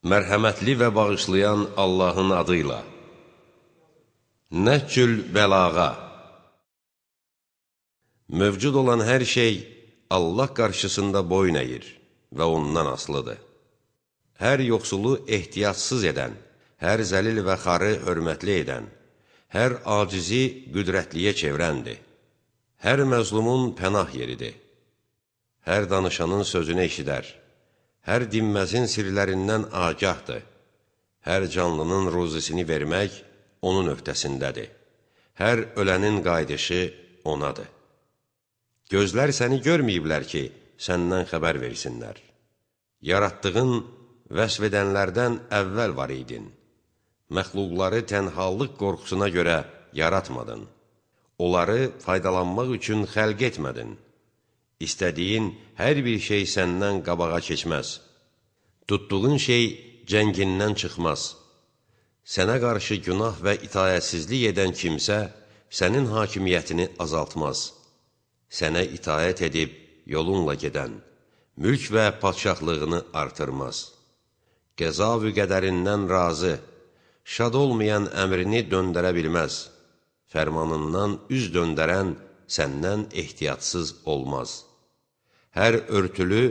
Mərhəmətli və bağışlayan Allahın adıyla. Nəhcül bəlağa. Mövcud olan hər şey Allah qarşısında boyun əyir və ondan asılıdır. Hər yoxsulu ehtiyatsız edən, hər zəlil və xarı hörmətli edən, hər acizi qüdrətliyə çevrəndir. Hər məzlumun pənah yeridir. Hər danışanın sözünü eşidər. Hər dinməzin sirlərindən agahdır. Hər canlının ruzisini vermək onun öhdəsindədir. Hər ölənin qayıdışı onadır. Gözlər səni görməyiblər ki, səndən xəbər versinlər. Yaratdığın vəsf edənlərdən əvvəl var idin. Məxluqları tənhalıq qorxusuna görə yaratmadın. Onları faydalanmaq üçün xəlq etmədin. İstədiyin hər bir şey səndən qabağa keçməz. Tutduğun şey cəngindən çıxmaz. Sənə qarşı günah və itayətsizlik edən kimsə sənin hakimiyyətini azaltmaz. Sənə itayət edib yolunla gedən, mülk və padşahlığını artırmaz. Qəza və qədərindən razı, şad olmayan əmrini döndərə bilməz. Fərmanından üz döndərən səndən ehtiyatsız olmaz. Hər örtülü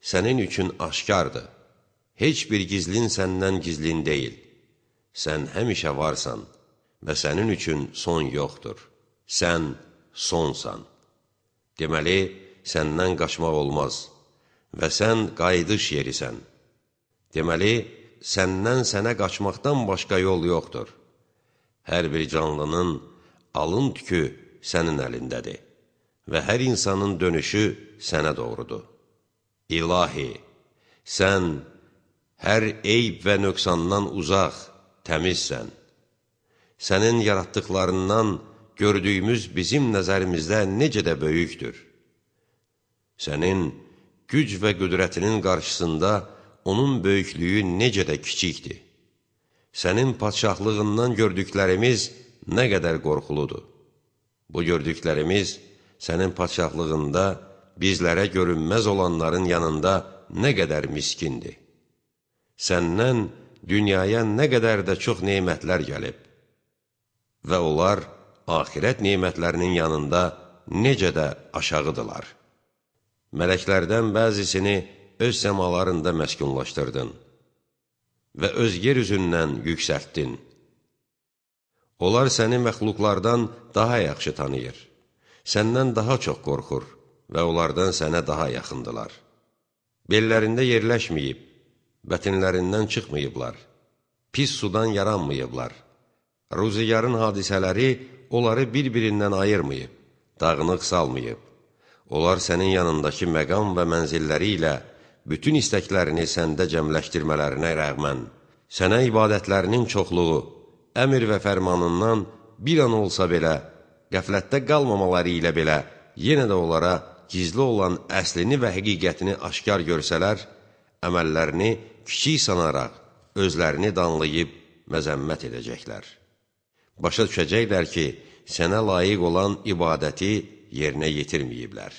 sənin üçün aşkardır. Heç bir gizlin səndən gizlin deyil. Sən həmişə varsan və sənin üçün son yoxdur. Sən sonsan. Deməli, səndən qaçmaq olmaz və sən qayıdış yerisən. Deməli, səndən sənə qaçmaqdan başqa yol yoxdur. Hər bir canlının alın tükü sənin əlindədir və hər insanın dönüşü sənə doğrudur. İlahi, sən hər eyb və nöqsandan uzaq, təmizsən. Sənin yaratdıqlarından gördüyümüz bizim nəzərimizdə necə də böyükdür. Sənin güc və qüdrətinin qarşısında onun böyüklüyü necə də kiçikdir. Sənin padşahlığından gördüklərimiz nə qədər qorxuludur. Bu gördüklərimiz sənin padşahlığında bizlərə görünməz olanların yanında nə qədər miskindir. Səndən dünyaya nə qədər də çox nemətlər gəlib və onlar axirət nemətlərinin yanında necə də aşağıdırlar. Mələklərdən bəzisini öz səmalarında məskunlaşdırdın və öz yer üzündən yüksəltdin. Onlar səni məxluqlardan daha yaxşı tanıyır, səndən daha çox qorxur və onlardan sənə daha yaxındılar. Bellərində yerləşməyib, bətinlərindən çıxmayıblar, pis sudan yaranmayıblar. Ruziyarın hadisələri onları bir-birindən ayırmayıb, dağınıq salmayıb. Onlar sənin yanındakı məqam və mənzilləri ilə bütün istəklərini səndə cəmləşdirmələrinə rəğmən, sənə ibadətlərinin çoxluğu, əmr və fərmanından bir an olsa belə, qəflətdə qalmamaları ilə belə, yenə də onlara gizli olan əslini və həqiqətini aşkar görsələr, əməllərini kiçik sanaraq, özlərini danlayıb məzəmmət edəcəklər. Başa düşəcəklər ki, sənə layiq olan ibadəti yerinə yetirməyiblər.